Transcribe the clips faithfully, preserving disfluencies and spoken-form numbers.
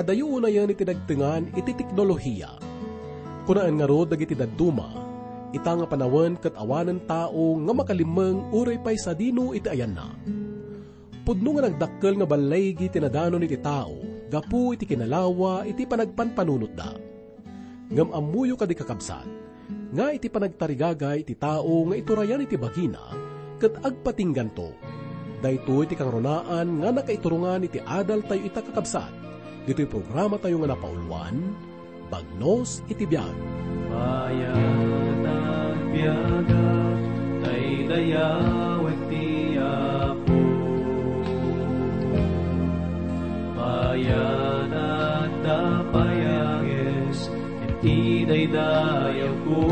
Dayo unayen iti nagtengan iti teknolohiya. Kunaen ngarud dagiti dadduma, ita nga panawen ket awanen tao nga makalimmeng uray pay sadino iti ayanna. Pudno nga nagdakkel nga ballaygi ti nadanon iti tao gapu iti kinalawa iti panagpanpanunotda. Ngem ammoyo kadi, kakabsat, nga iti panagtarigagay iti tao nga iturayan iti bagina ket agpatingganto. Daytoy ti kangrunaan nga nakaiturongan iti adaltayo ita, kakabsat, ditoy programatayo nga napauluan, Bagnos iti Biag. Mayat a biagak, daydayawek ti Apo. Mayat a payages, iti daydayawko.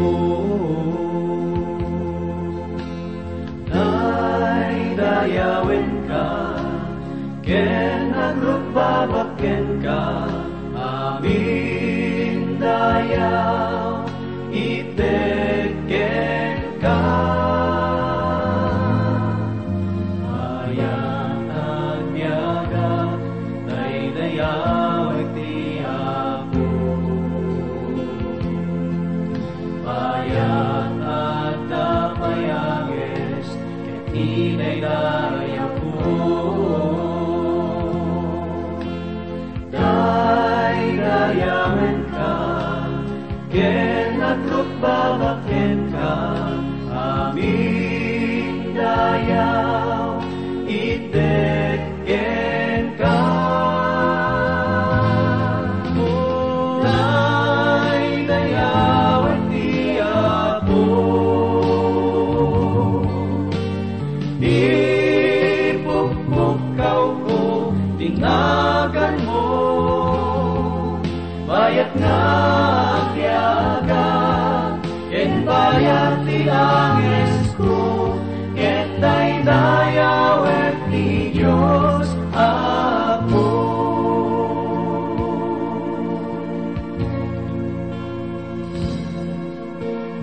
Daydayawenka, ken agrukbabak kenka, amin dayaw, itek kenka. Mayat a biagak, daydayawek ti Apo. Mayat a payages, ket idaydayawko. Daydayawenka, ken agrukbabak kenka, amin dayaw, itek kenka. Daydayawek ti Apo. Ipukpukkawko ti naganmo. Mayat nga agbiagak, ken bayat ti angesko, ket daydayawek ti Dios Apo.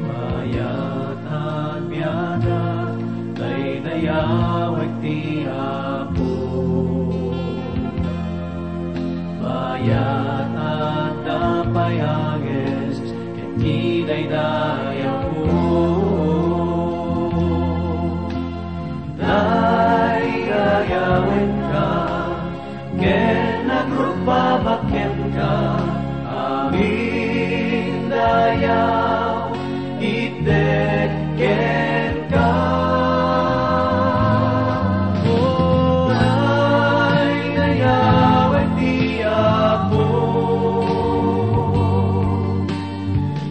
Mayat a biagak, daydayawek ti Apo. Mayat a payages, ket idaydayawko. Daydayawenka, ken agrukbabak kenka, amin dayaw, itek kenka. Daydayawek ti Apo.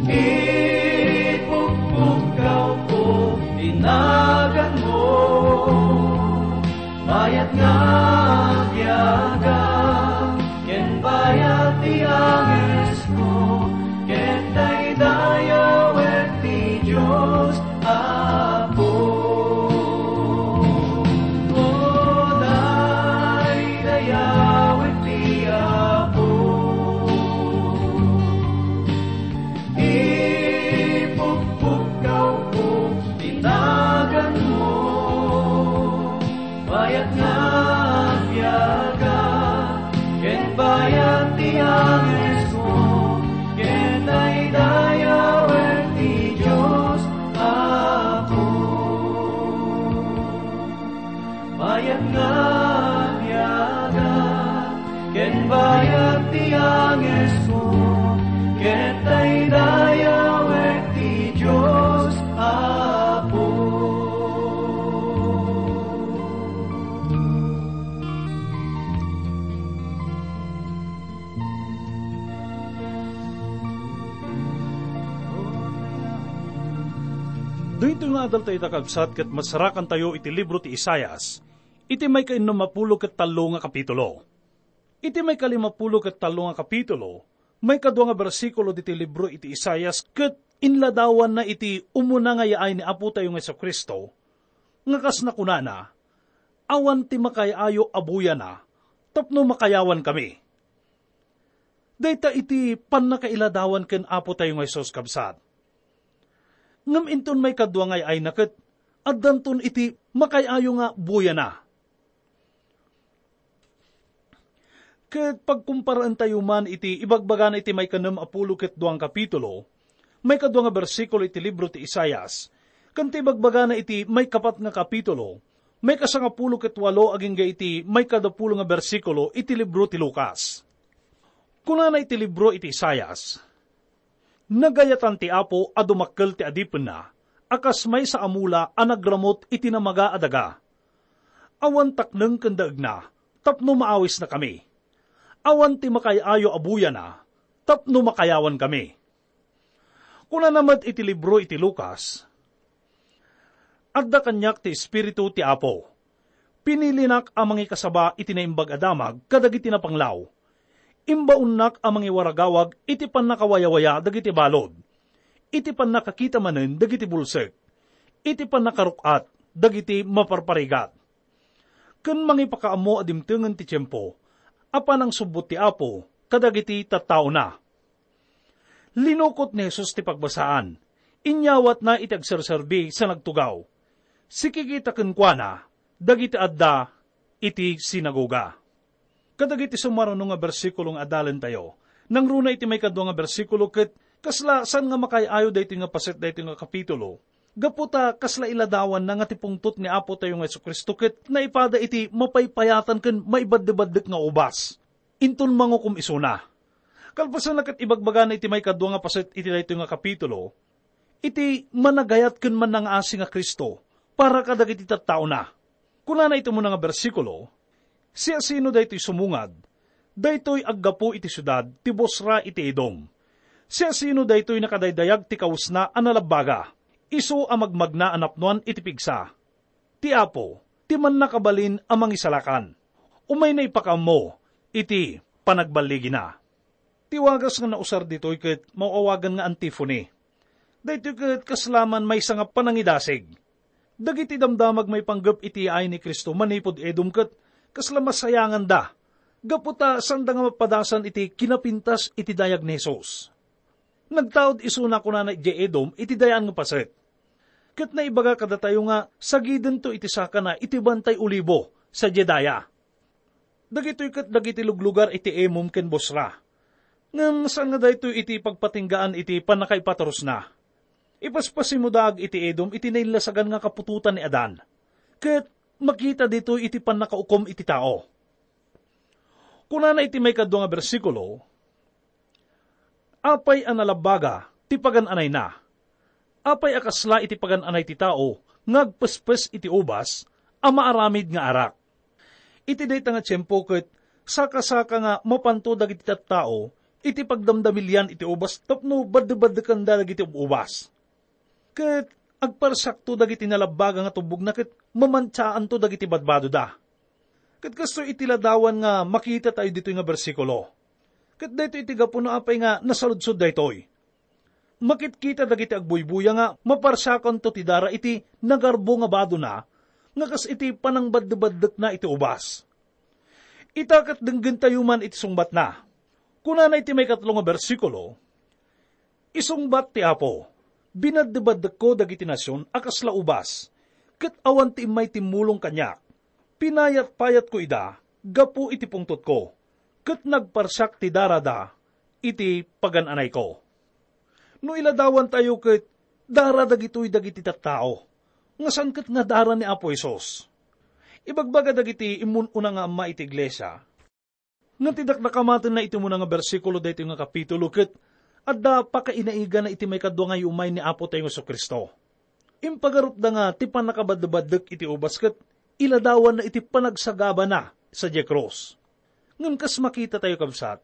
Ipukpukkawko ti naganmo. Mayat nga agbiagak, ken bayat ti angesko, ket daydayawek ti Dios Apo. O, daydayawek ti Apo. Ipukpukkawko ti naganmo. Bayat nga agbiagak, ken bayat ti angesko, ket daydayawek ti Dios Apo. Bayat nga agbiagak, ken bayat ti angesko, ket daydayawek ti Dios Apo. Daytoy nga adaltayo, kakabsat, ket masarakantayo iti libro ti Isaias, iti maikainnumapulo ket tallo nga kapitulo. Iti maikalimapulo ket tallo nga kapitulo, maikadua nga bersikulo diti libro iti Isaias, ket inladawanna iti umuna nga yaay ni Apotayo nga Jesu-Cristo, nga kas nakunana, "Awan ti makaay-ayo a buyana tapno makayawankami." Dayta iti pannakailadawan ken Apotayo nga Jesus, kabsat. Ngem inton maikadua nga ay-ayna ket addanton iti makaay-ayo nga buyana. Ket pagkumparaentayo man iti ibagbagana iti maikanem a pulo ket dua nga kapitulo, maikadua nga bersikulo iti libro ti Isaias, ken ti ibagbagana iti maikapat nga kapitulo, maikasangapulo ket walo agingga iti maikadapulo nga bersikulo iti libro ti Lucas. Kunana iti libro iti Isaias, "Nagayatan ti Apo a dumakkel ti adipenna, a kas maysa a mula a nagramut iti namaga a daga. Awan takneng ken daegna, tapno maawisnakami. Awan ti makaay-ayo a buyana, tapno makayawankami." Kunana met iti libro iti Lucas, "Adda kaniak ti Espiritu ti Apo. Pinilinak a mangikasaba iti naimbag a damag kadagiti napanglaw. Imbaonnak a mangiwaragawag iti pannakawayawaya dagiti balud, iti pannakakita manen dagiti bulsek, iti pannakaruk-at dagiti maparparigat, ken mangipakaammo a dimtengen ti tiempo a panangsubbot ti Apo kadagiti tattaona." Linukot ni Jesus ti pagbasaan. Inyawatna iti agserserbi sa nagtugaw. Sikikita kenkuana dagiti adda iti sinagoga. Kadagiti sumaruno nga bersikulo nga adalentayo, nangruna iti maikadua nga bersikulo ket kasla saan nga makaay-ayo daytoy nga paset daytoy nga kapitulo. Gapu ta kasla iladawanna nga ti pungtot ni Apo tayo nga Jesu-Cristo ket naipada iti mapaypayatan ken maibaddebaddek nga ubas. Inton mangukom isuna. Kalpasanna ket ibagbagana iti maikadua nga paset iti daytoy nga kapitulo, iti managayat ken mannangaasi nga Cristo para kadagiti tattaona. Kunana iti umuna nga bersikulo, "Siasino daytoy sumungad? Daytoy aggapu iti siudad ti Bosra iti Edom. Siasino daytoy nakadaydayag ti kawesna a nalabbaga? Isu a magmagna a napnoan iti pigsa. Ti Apo, ti mannakabalin a mangisalakan. Umayna ipakaammo iti panagballigina." Ti wagas nga nausar ditoy ket maawagan nga antiphone. Daytoy ket kasla man maysa nga panangidasig. Dagiti damdamag maipanggep iti yaay ni Cristo manipud Edom ket kasla masayanganda, gapu ta saanda nga mapadasan iti kinapintas iti dayag ni Jesus. Nagtaud isuna kunana idiay Edom iti dayaan nga paset. Ket naibaga kadatayo nga sagidento iti sakana iti Bantay Olibo sadiay daya. Dagitoy ket dagiti luglugar iti Emom ken Bosra. Ngem saan nga daytoy iti pagpatinggaan iti pannakaipatarusna. Ipaspasimo daag iti Edom iti naillasagan nga kaputotan ni Adan, ket makita ditoy iti pannakaukom iti tao. Kunana iti maikadua nga bersikulo, "Apay a nalabbaga ti pagan-anayna? Apay a kasla iti pagan-anay ti tao nga agpespes iti ubas a maaramid nga arak?" Iti dayta nga tiempo ket sakasaka nga mapanto dagiti tattao iti pagdamdamilian iti ubas tapno baddebaddekanda dagiti ub-ubas. Ket agparsiakto dagiti nalabbaga nga tubbogna ket mamantiaanto dagiti badbadoda. Ket kastoy iti ladawan nga makitatayo ditoy nga bersikulo. Ket daytoy iti gapuna apay nga nasaludsod daytoy. Makitkita dagiti agbuybuya nga maparsiakanto ti dara iti nagarbo nga badona nga kas iti panangbaddebaddekna iti ubas. Ita ket denggentayo man iti sungbatna. Kunana iti maikatlo nga bersikulo, "Isungbat ti Apo, binaddebaddekko dagiti nasion a kasla ubas, ket awan ti immay timmulong kaniak. Pinayatpayatko ida gapu iti pungtotko, ket nagparsiak ti darada iti pagan-anayko." No iladawantayo ket dara dagitoy dagiti tattao, nga saan ket nga dara ni Apo Jesus. Ibagbaga dagiti immun-una nga amma iti iglesia, nga ti dakdakamatenna iti umuna nga bersikulo daytoy nga kapitulo ket adda pakainaigana iti maikadua nga iumay ni Apo tayo Jesu-Cristo. Impagarupda nga ti pannakabaddebaddek iti ubas ket iladawanna iti panagsagabana sadiay krus. Ngem kas makitatayo, kabsat,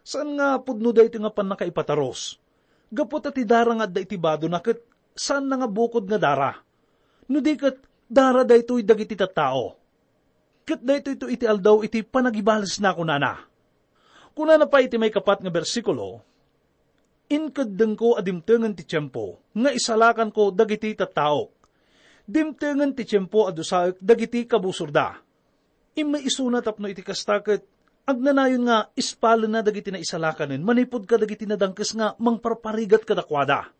saan nga pudno daytoy nga pannakaipatarus. Gapu ta ti dara nga adda iti badona ket saanna nga bukod nga dara. No di ket dara daytoy dagiti tattao. Ket daytoyto iti aldaw iti panagibalesna, kunana. Kunana pay iti maikapat nga bersikulo, "Inkeddengko a dimtengen ti tiempo nga isalakanko dagiti tattaok. Dimtengen ti tiempo a dusaek dagiti kabusorda." Immay isuna tapno iti kasta ket agnanayon nga ispalenna dagiti naisalakanen manipud kadagiti nadangkes nga mangparparigat kadakuada.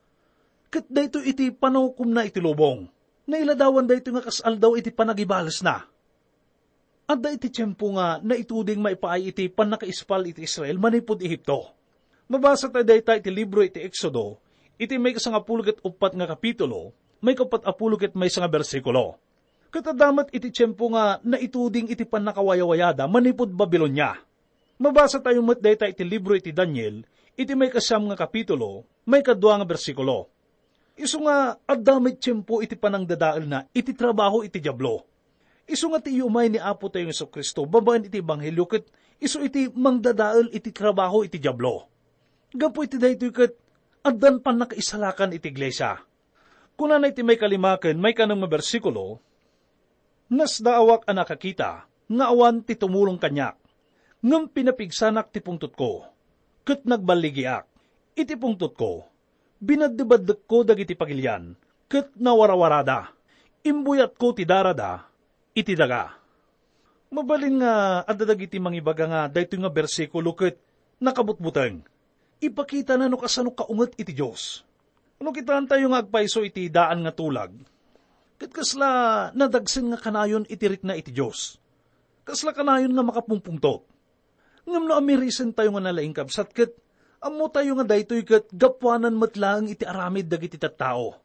Ket daytoy iti panangukomna iti lubong. Nailadawan daytoy nga kas aldaw iti panagibalesna. Adda iti tiempo nga naituding maipaay iti pannakaispal iti Israel manipud Egipto. Mabasa tayo dayta iti libro iti Exodo, iti maikasangapulo ket uppat nga kapitulo, maikapat a pulo ket maysa nga bersikulo. Ket adda met iti tiempo nga naituding iti pannakawayawayada manipud Babilonia. Mabasa tayo met dayta iti libro iti Daniel, iti maikasiam nga kapitulo, maikadua nga bersikulo. Isu nga adda met tiempo iti panangdadaelna iti trabaho iti Diablo. Isu nga ti iyumay ni Apo tayo Jesu-Cristo babaen iti ebanghelio ket isu iti mangdadael iti trabaho iti Diablo. Gapu iti daytoy ket addan pannakaisalakan iti iglesia. Kunana iti maikalima ken maikanem nga bersikulo, "Nasdaawak a nakakita nga awan ti tumulong kaniak, ngem pinapigsanak ti pungtotko, ket nagballigiak. Iti pungtotko, binaddebaddekko dagiti pagilian, ket nawarawarada. Imbuyatko ti darada iti daga." Mabalin nga adda dagiti mangibaga nga daytoy nga bersikulo ket nakabutbuteng. Ipakitana no kasano kaunget iti Dios. No kitaentayo nga agpayso iti daan nga tulag, ket kasla nadagsen nga kanayon iti rikna iti Dios. Kasla kanayon nga makapungpungtot. Ngem no amirisentayo nga nalaing, kabsat, ket ammotayo nga daytoy ket gapuanan met laeng iti aramid dagiti tattao.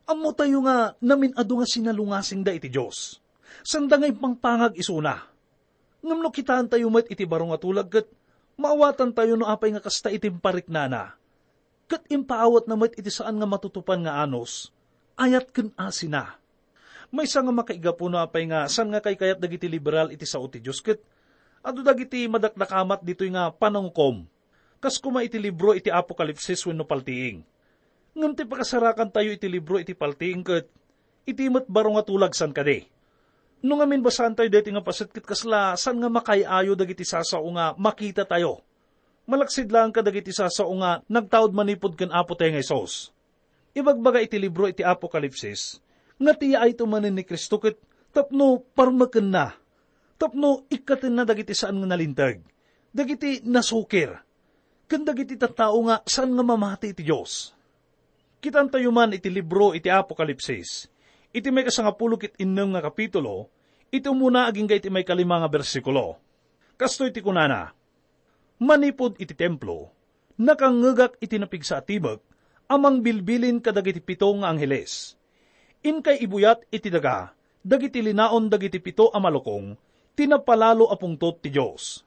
Ammotayo nga namin-adu nga sinalungasingda iti Dios. Sanda nga impangpangag isuna. Ngem no kitaentayo met iti baro nga tulag ket maawatantayo no apay nga kasta iti impariknana. Ket impaawatna met iti saan nga matutupan nga anus, ayat ken asina. Maysa nga makaigapu no apay nga saan nga kaykayat dagiti liberal iti sao ti Dios ket adu dagiti madakdakamat ditoy nga panangukom. Kas koma iti libro iti Apokalipsis wenno paltiing. Ngem ti pakasarakantayo iti libro iti paltiing ket iti met baro nga tulag saan kadi. No ngamin basaantayo daytoy nga paset ket kasla saan nga makaay-ayo dagiti sasao nga makitatayo. Malaksid laeng kadagiti sasao nga nagtaud manipud ken Apo tayo nga Jesus. Ibagbaga iti libro iti Apokalipsis nga ti yaayto manen ni Cristo ket tapno parmekenna, tapno ikkatenna dagiti saan nga nalinteg, dagiti nasukir, ken dagiti tattao nga saan nga mamati iti Dios. Kitaentayo man iti libro iti Apokalipsis, iti maikasangapulo ket innem nga kapitulo, iti umuna agingga iti maikalima nga bersikulo. Kastoy ti kunana, "Manipud iti templo, nakangngegak iti napigsa a timek a mangbilbilin kadagiti pito nga angheles. Inkay ibuyat iti daga dagiti linaon dagiti pito a malukong ti napalalo a pungtot ti Dios."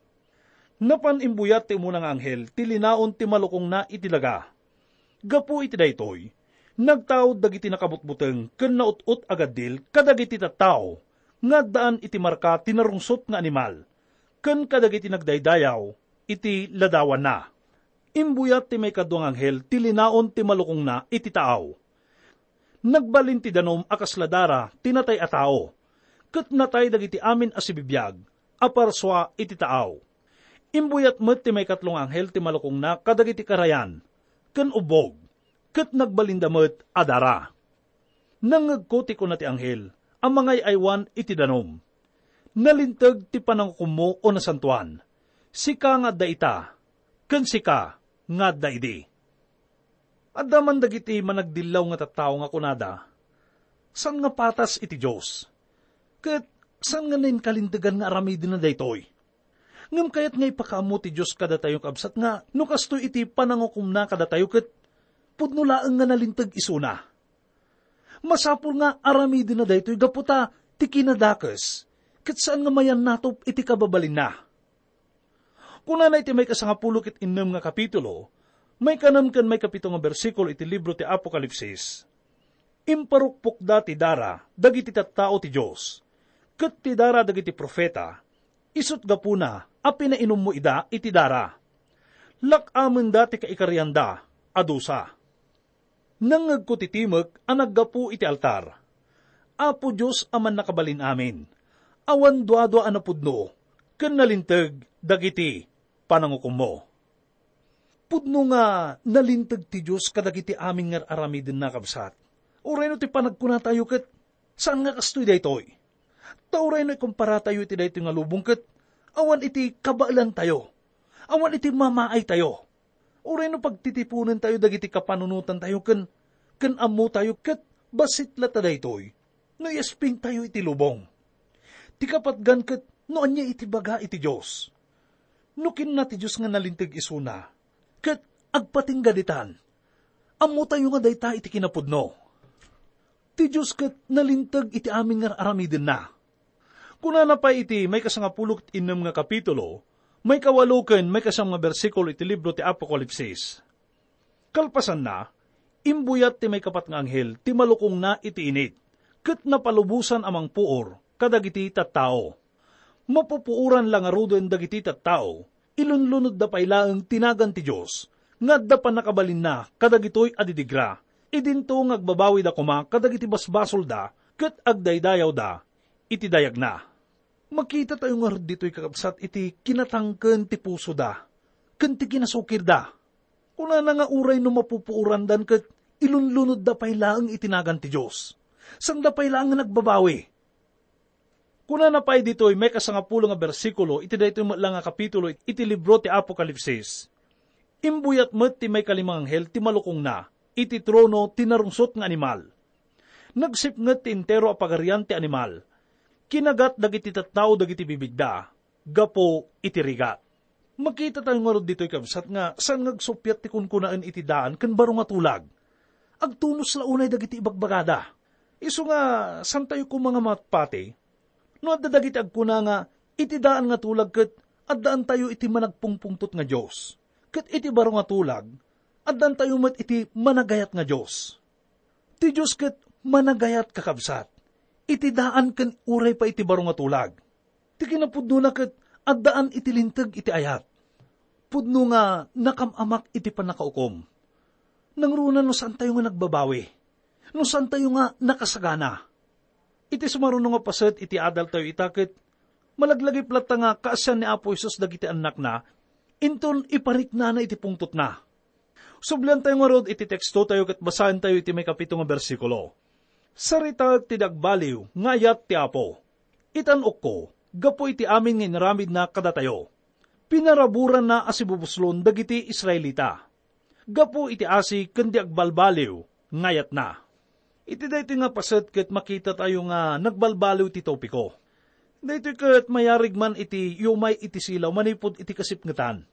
Napan imbuyat ti umuna nga anghel ti linaon ti malukongna iti daga. Gapu iti daytoy, nagtaud dagiti nakabutbuteng ken naut-ot a gaddil kadagiti tattao nga addaan iti marka ti narungsot nga animal ken kadagiti nagdaydayaw iti ladawanna. Imbuyat ti maikadua nga anghel ti linaon ti malukongna iti taaw. Nagbalin ti danum a kasla dara ti natay a tao, ket natay dagiti amin a sibibiag a parsua iti taaw. Imbuyat met ti maikatlo nga anghel ti malukongna kadagiti karayan ken ubbog, ket nagbalinda met a dara. Nangngegko ti kuna ti anghel a mangay-aywan iti danum, "Nalinteg ti panangukommo, O Nasantoan, sika nga adda ita, ken sika nga adda idi." Adda man dagiti managdillaw nga tattao nga kunada, "Saan nga patas iti Dios, ket saan nga nainkalintegan nga aramidenna daytoy?" Ngem kayat nga ipakaammo ti Dios kadatayo, kabsat, nga no kastoy iti panangukomna kadatayo, ket pudno laeng nga nalinteg isuna. Masapul nga aramidenna daytoy gapu ta ti kinadakes, ket saan nga mayannatop iti kababalinna. Kunana iti maikasangapulo ket innem nga kapitulo, maikanem ken maikapito nga bersikulo iti libro ti Apokalipsis, "Imparukpokda ti dara dagiti tattao ti Dios, ket ti dara dagiti profeta, isut' gapuna a pinainummo ida iti dara. Lak-amenda ti kaikarianda a dusa." Nangngegko ti timek a naggapu iti altar, "Apo Dios a Mannakabalin-amin, awan duadua a napudno ken nalinteg dagiti panangukommo." Pudno nga nalinteg ti Dios kadagiti amin nga ar-aramidenna, kabsat. Uray no ti panagkunatayo ket saan nga kastoy daytoy. Ta uray no ikomparatayo iti daytoy nga lubong ket awan iti kabaelantayo, awan iti mamaaytayo. Uray no pagtitiponentayo dagiti kapanunotantayo ken, ken ammotayo ket bassit latta daytoy no iaspingtayo iti lubong. Ti kapatgan ket No ania iti baga iti Dios? No kinuna ti Dios nga nalinteg isuna, ket agpatingga ditan, ammotayo nga dayta iti kinapudno. Ti Dios ket nalinteg iti amin nga ar-aramidenna. Kunana pay iti maikasangapulo ket innem nga kapitulo, maikawalo ken maikasiam nga bersikulo iti libro ti Apokalipsis. Kalpasanna, imbuyat ti maikapat nga anghel ti malukongna iti init, ket napalubosan a mangpuor kadagiti tattao. Mapupuoran la ngaruden dagiti tattao, ilunlunodda pay laeng ti nagan ti Dios, nga adda pannakabalinna kadagitoy a didigra, idinto nga agbabawida koma kadagiti basbasolda ket agdaydayawda iti dayagna. Makitatayo ngarud ditoy, kakabsat, iti kinatangken ti pusoda ken ti kinasukirda. Kunana nga uray no mapupuorandan ket ilunlunodda pay laeng iti nagan ti Dios, sanda pay laeng nga nagbabawi. Kunana pay ditoy maikasangapulo nga bersikulo iti daytoy met la nga kapitulo iti libro ti Apokalipsis, "Imbuyat met ti maikalima nga anghel ti malukongna iti trono ti narungsot nga animal. Nagsipnget ti entero a pagarian ti animal. Kinagat dagiti tattao dagiti bibigda gapu iti rigat." Makitatayo ngarud ditoy, kabsat, nga saan nga agsuppiat ti kunkunaen iti daan ken baro nga tulag. Agtunos la unay dagiti ibagbagada. Isu nga, saantayo koma nga mapati no adda dagiti agkuna nga iti daan nga tulag ket addaantayo iti managpungpungtot nga Dios, ket iti baro nga tulag, addaantayo met iti managayat nga Dios. Ti Dios ket managayat, kakabsat, iti daan ken uray pay iti baro nga tulag. Ti kinapudnona ket addaan iti linteg iti ayat. Pudno nga nakam-amak iti pannakaukom. Nangruna no saantayo nga nagbabawi, no saantayo nga nakasagana. Iti sumaruno nga paset iti adaltayo ita ket malaglagip latta nga kaasian ni Apo Jesus dagiti annakna, inton ipariknana iti pungtotna. Subliantayo ngarud iti tekstotayo ket basaentayo iti maikapito nga bersikulo. "Saritaek ti di agbaliw nga ayat ti Apo. Itan-okko, gapu iti amin nga inaramidna kadatayo. Pinaraburanna a sibubuslon dagiti Israelita gapu iti asi ken di agbalbaliw nga ayatna." Iti daytoy nga paset ket makitatayo nga nagbalbaliw ti topiko. Daytoy ket mayarig man iti umay iti silaw manipud iti kasipngetan.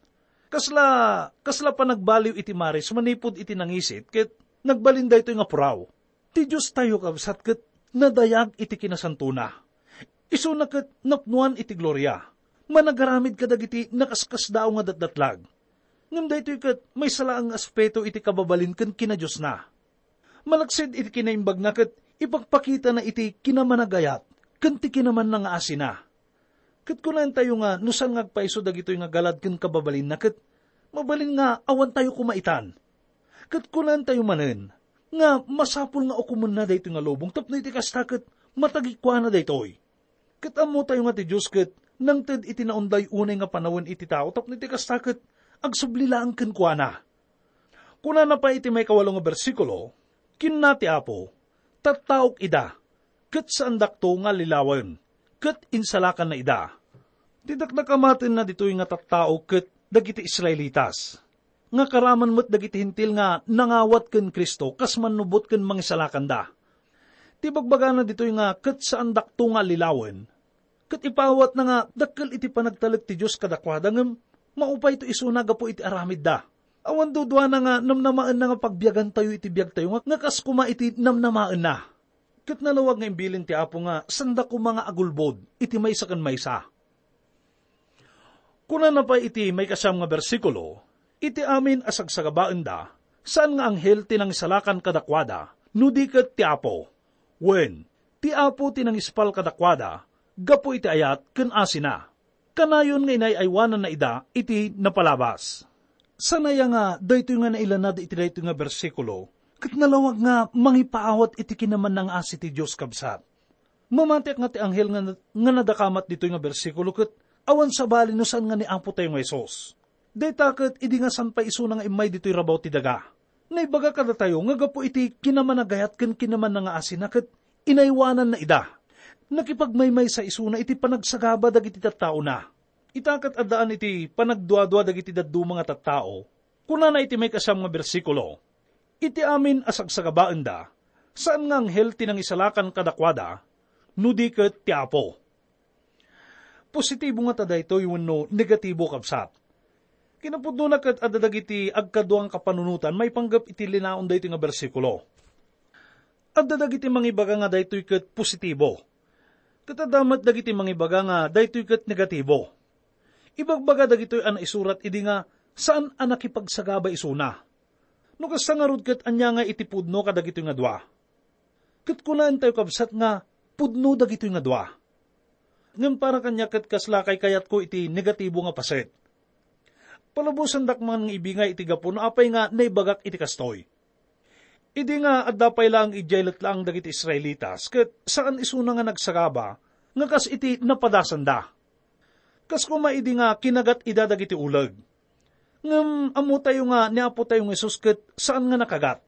Kasla, kasla panagbaliw iti maris manipud iti nangisit ket nagbalin daytoy nga puraw. Ti Diostayo, kabsat, ket nadayag iti kinasantona. Isuna ket napnoan iti gloria. Managaramid kadagiti nakaskasdaaw nga datdatlag. Ngem daytoy ket maysa laeng nga aspeto iti kababalin ken kinadiosna. Malaksid iti kinaimbagna ket ipakpakitana iti kinamanagayat ken ti kinamannangaasina. Ket kunantayo nga no saan nga agpayso dagitoy nga galad ken kababalinna, ket mabalin nga awantayo koma itan. Ket kunantayo manen nga masapul nga ukomenna daytoy nga lubong tapno iti kasta ket matagikuana daytoy. Ket ammotayo nga ti Dios ket nangted iti naunday unay nga panawen iti tao tapno iti kasta ket agsubli laeng kenkuana. Kunana pay iti maikawalo nga bersikulo, "Kinuna ti Apo, 'Tattaok ida, ket saandakto nga allilawen, ket insalakanna ida.'" Ti dakdakamatenna ditoy nga tattao ket dagiti Israelitas, nga karaman met dagiti Hentil nga nangawat ken Cristo kas mannubot ken mangisalakanda. Ti bagbagana ditoy nga ket saandakto nga allilawen, ket ipaawatna nga dakkel iti panagtalek ti Dios kadakuada, ngem maupayto isuna gapu iti aramidda. Awan duduana nga namnamaenna nga pagbiagantayo iti biagtayo nga, nga kas koma iti namnamaenna. Ket nalawag nga imbilin ti Apo nga sanda koma nga agulbod iti maysa ken maysa. Kunana pay iti maikasiam nga bersikulo, "Iti amin a sagsagabaenda, saan nga anghel ti nangisalakan kadakuada, no di ket ti Apo. Wen, ti Apo ti nangispal kadakuada gapu iti ayat ken asina. Kanayon nga inay-aywananna ida iti napalabas." Saan aya nga daytoy nga nailanad iti daytoy nga bersikulo ket nalawag nga mangipaawat iti kinamannangaasi ti Dios, kabsat? Mamatiak nga ti anghel nga, nga nadakamat ditoy nga bersikulo ket awan sabali no saan nga ni Apotayo nga Jesus. Dayta ket idi nga saan pay isuna nga immay ditoy rabaw ti daga, naibaga kadatayo nga gapu iti kinamanagayat ken kinamannangaasina ket inaywananna ida. Nakipagmaymaysa isuna iti panagsagaba dagiti tattaona. Ita ket addaan iti panagduadua dagiti dadduma nga tattao. Kunana iti maikasiam nga bersikulo, "Iti amin a sagsagabaenda, saan nga anghel ti nangisalakan kadakuada, no di ket ti Apo." positibo ngata daytoy wenno negatibo, kabsat? Kinapudnona ket adda dagiti agkadua nga kapanunotan maipanggep iti linaon daytoy nga bersikulo. Adda dagiti mangibaga nga daytoy ket positibo, ket adda met dagiti mangibaga nga daytoy ket negatibo. Ibagbaga dagitoy a naisurat idi nga saan a nakipagsagaba isuna. No kasta ngarud, ket ania nga iti pudno kadagitoy nga dua? Ket kunaentayo, kabsat, nga pudno dagitoy nga dua. Ngem para kaniak ket kasla kaykayatko iti negatibo nga paset. Palubosandak man nga ibingay iti gapu no apay nga naibagak iti kastoy. Idi nga adda pay laeng idiay letlaang dagiti Israelitas, ket saan isuna nga nagsagaba nga kas iti napadasanda. Kas koma idi nga kinagat ida dagiti uleg. Ngem ammotayo nga ni Apotayo nga Jesus ket saan nga nakagat.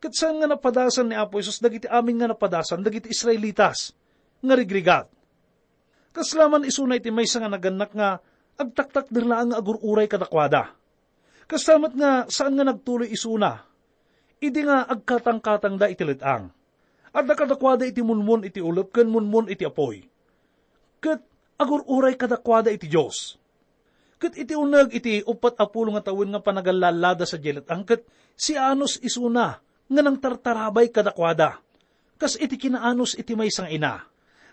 Ket saan nga napadasan ni Apo Jesus dagiti amin nga napadasan dagiti Israelitas nga rigrigat. Kasla man isuna iti maysa nga nagannak nga agtaktakder laeng nga agur-uray kadakuada. Kasta met nga saan nga nagtuloy isuna idi nga agkatangkatangda iti let-ang. Adda kadakuada iti munmon iti ulep ken munmon iti apuy. Ket agur-uray kadakuada iti Dios. Ket iti uneg iti uppat a pulo nga tawen nga panagallallada sadiay let-ang, ket sianos isuna nga nangtartarabay kadakuada, kas iti kinaanos iti maysa nga ina.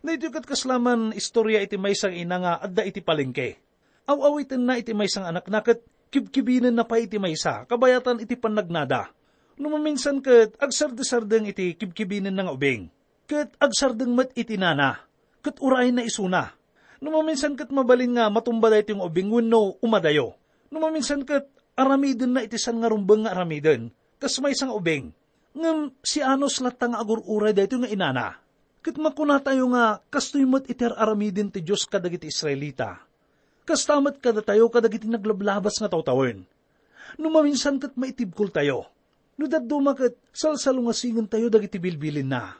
Daytoy ket kasla man istorya iti maysa nga ina nga adda iti palengke. Aw-awitenna iti maysa nga anakna ket kibkibinenna pay iti maysa kabayatan iti pannagnada. No maminsan ket agsardesardeng iti kibkibinenna nga ubing, ket agsardeng met iti inana, ket urayna isuna. No maminsan ket mabalin nga matumba daytoy nga ubing wenno umadayo. No maminsan ket aramidenna iti saan nga rumbeng nga aramiden, kas maysa nga ubing. Ngem sianos latta nga agur-uray daytoy nga inana. Ket makunatayo nga kastoy met iti ar-aramiden ti Dios kadagiti Israelita. Kasta met kadatayo kadagiti naglablabas nga tawtawen. No maminsan ket maitibkoltayo. No dadduma ket salsalungasingentayo dagiti bilbilinna.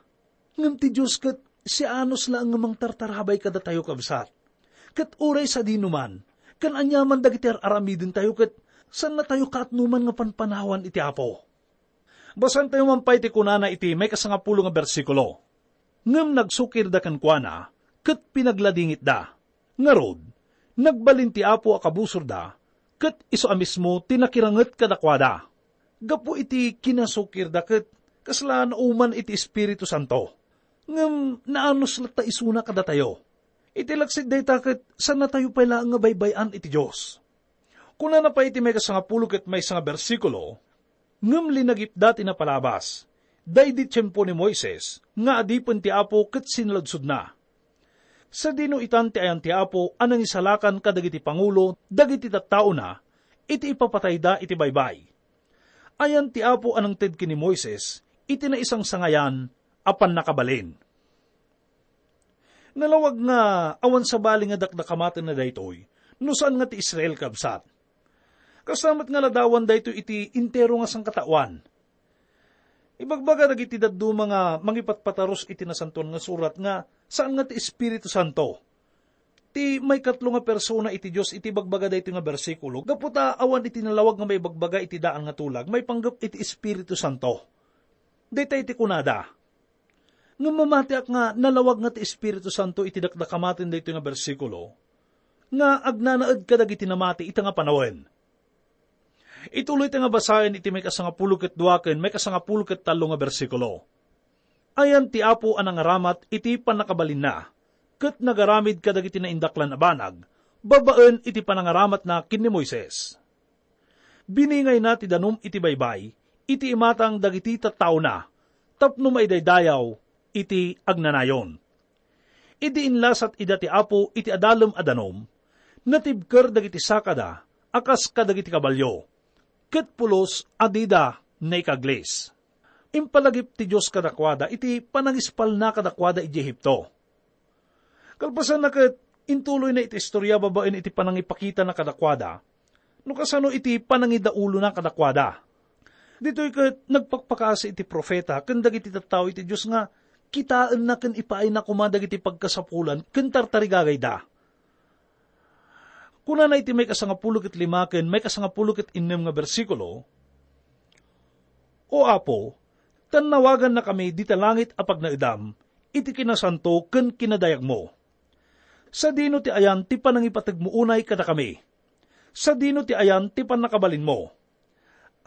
Ngem ti Dios ket sianos laeng nga mangtartarabay kadatayo, kabsat. Ket uray sadino man, ken aniaman dagiti ar-aramidentayo ket saannatayo kaatnoman nga panpanawan iti Apo. Basaentayo man pay ti kunana iti maikasangapulo nga bersikulo, "Ngem nagsukirda kenkuana ket pinagladingitda. Ngarud, nagbalin ti Apo a kabusorda, ket isu a mismo ti nakiranget kadakuada." Gapu iti kinasukirda ket kasla nauman iti Espiritu Santo. Ngem naanos latta isuna kadatayo. Iti laksid dayta ket saannatayo pay laeng nga baybay-an iti Dios. Kunana pay iti maikasangapulo ket maysa nga bersikulo, "Ngem linagipda ti napalabas, daydi tiempo ni Moises, nga adipen ti Apo ket sinaludsodna, 'Sadino itan ti ayan ti Apo a nangisalakan kadagiti pangulo dagiti tattaona iti ipapatayda iti baybay?' Ayan ti Apo a nangted ken ni Moises iti naisangsangayan a pannakabalin." Nalawag nga awan sabali nga dakdakamatenna daytoy no saan nga ti Israel, kabsat. Kasta met nga ladawan daytoy iti entero nga sangkataoan. Ibagbaga dagiti dadduma nga mangipatpatarus iti Nasantoan nga Surat nga saan nga ti Espiritu Santo ti maikatlo nga persona iti Dios iti ibagbaga daytoy nga bersikulo, gapu ta awan iti nalawag nga maibagbaga iti daan nga tulag maipanggep iti Espiritu Santo. Dayta iti kunada. Ngem mamatiak nga nalawag nga ti Espiritu Santo iti dakdakamaten daytoy nga bersikulo nga agnanaed kadagiti namati ita nga panawen. Ituloyta nga basaen iti maikasangapulo ket dua ken maikasangapulo ket tallo nga bersikulo. Ayan ti Apo a nangaramat iti pannakabalinna, ket nagaramid kadagiti naindaklan a banag babaen iti panangaramatna ken ni Moises. Biningayna ti danum iti baybay iti imatang dagiti tattaona tapno maidaydayaw iti agnanayon. Idi inlasat ida ti Apo iti adalem a danum, natibker dagiti sakada a kas kadagiti kabalio, ket pulos a dida naikaglis. Impalagip ti Dios kadakuada iti panangispalna kadakuada idiay Egipto. Kalpasanna ket, intuloyna iti istorya babaen iti panangipakitana kadakuada no kasano iti panangidaulona kadakuada. Ditoy ket nagpakpakaasi iti profeta ken dagiti tattao iti Dios nga kitaenna ken ipaayna koma dagiti pagkasapulan ken tartarigagayda. Kunana iti maikasangapulo ket lima ken maikasangapulo ket innem nga bersikulo, "O Apo, tannawagannakami dita langit a pagnaedam iti kinasanto ken kinadayagmo. Sadino ti ayan ti panangipategmo unay kadakami? Sadino ti ayan ti pannakabalinmo?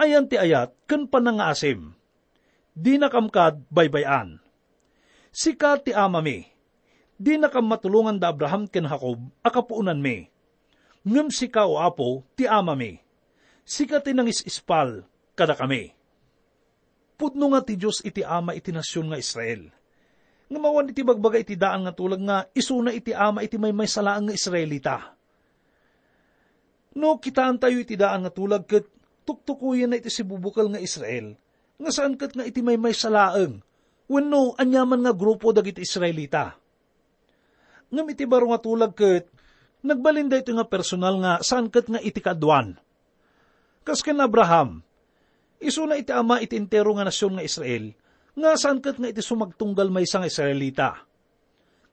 Ayan ti ayat ken panangaasim? Dinakam kad baybay-an. Sika ti amami. Dinakam matulongan da Abraham ken Jacob a kapuonanmi. Ngem sika, O Apo, ti amami. Sika ti nangis-ispal kadakami. Pudno nga ti Dios iti ama iti nasion nga Israel. Ngem awan iti ibagbaga iti daan nga tulag nga isuna iti ama iti maymaysa laeng nga Israelita. No kitaentayo iti daan nga tulag ket tuktukoyenna iti sibubukel nga Israel, nga saan ket nga iti maymaysa laeng wenno aniaman nga grupo dagiti Israelita. Ngem iti baro nga tulag ket nagbalin daytoy nga personal nga saan ket nga iti kaaduan. Kas ken Abraham, isuna iti ama iti entero nga nasion nga Israel, nga saan ket nga iti sumagtunggal maysa nga Israelita.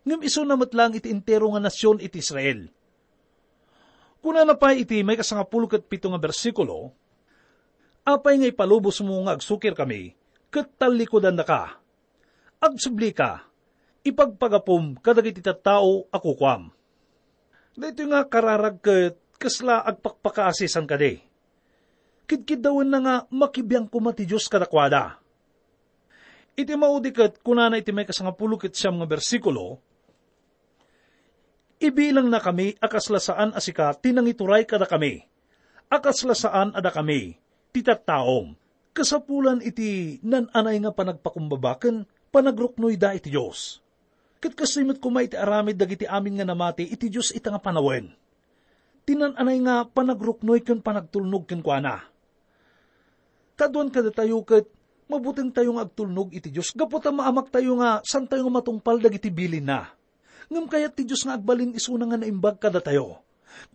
Ngem isuna met laeng iti entero nga nasion iti Israel. Kunana pay iti maikasangapulo ket pito nga bersikulo, "Apay nga ipalubosmo nga agsukirkami ket tallikudannaka? Agsublika, ipagpagapum kadagiti tattao a kukuam." Daytoy nga kararag ket kasla agpakpakaasisan kadi. Kidkiddawenna nga makibiang koma ti Dios kadakuada. Iti maudi ket kunana iti maikasangapulo ket siam nga bersikulo, "Ibilangnakami a kasla saan a sika ti nangituray kadakami, a kasla saan a dakami ti tattaom." Kasapulan iti nan-anay nga panagpakumbaba ken panagruknoyda iti Dios. Ket kastoy met koma iti aramid dagiti amin nga namati iti Dios ita nga panawen. Ti nan-anay nga panagruknoy ken panagtulnog kenkuana. Kaaduan kadatayo ket mabutengtayo nga agtulnog iti Dios gapu ta maamaktayo nga saantayo nga matungpal dagiti bilinna. Ngem kayat ti Dios nga agbalin isuna nga naimbag kadatayo.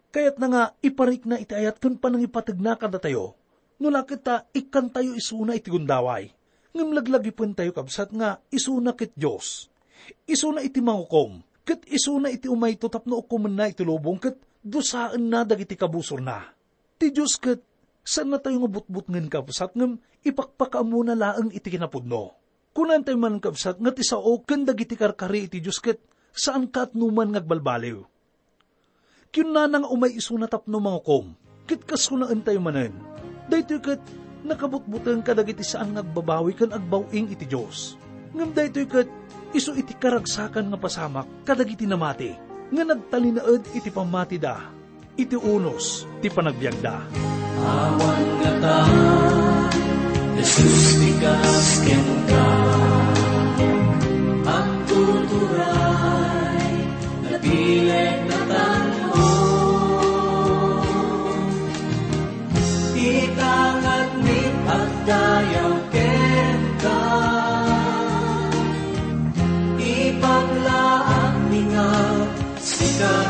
Kayatna nga iparikna iti ayat ken panangipategna kadatayo. No la ket ta ikkantayo isuna iti gundaway. Ngem laglagipentayo, kabsat, nga isuna ket Dios. Isuna iti mangukom, ket isuna iti umayto tapno ukomenna iti lubong ket dusaenna dagiti kabusorna. Ti Dios ket saannatayo nga butbutngen, kabsat, ngem ipakpakaammona laeng iti kinapudno. Kunantayo manen, kabsat, nga ti sao ken dagiti karkari iti Dios ket saan kaatnoman nga agbalbaliw. Kinnana nga umay isuna tapno mangukom, ket kas kunaentayo manen, daytoy ket nakabutbuteng kadagiti saan nga agbabawi ken agbaw-ing iti Dios. Ngem daytoy ket isu iti karagsakan nga pasamak kadagiti namati nga nagtalinaed iti pammatida iti unos ti panagbiagda. Awan ngata, Jesus, ti kas kenka. Agtuturay, napileg, natanong. Ita ngarud agdayaw kenka. Ipaglaak ni nga sika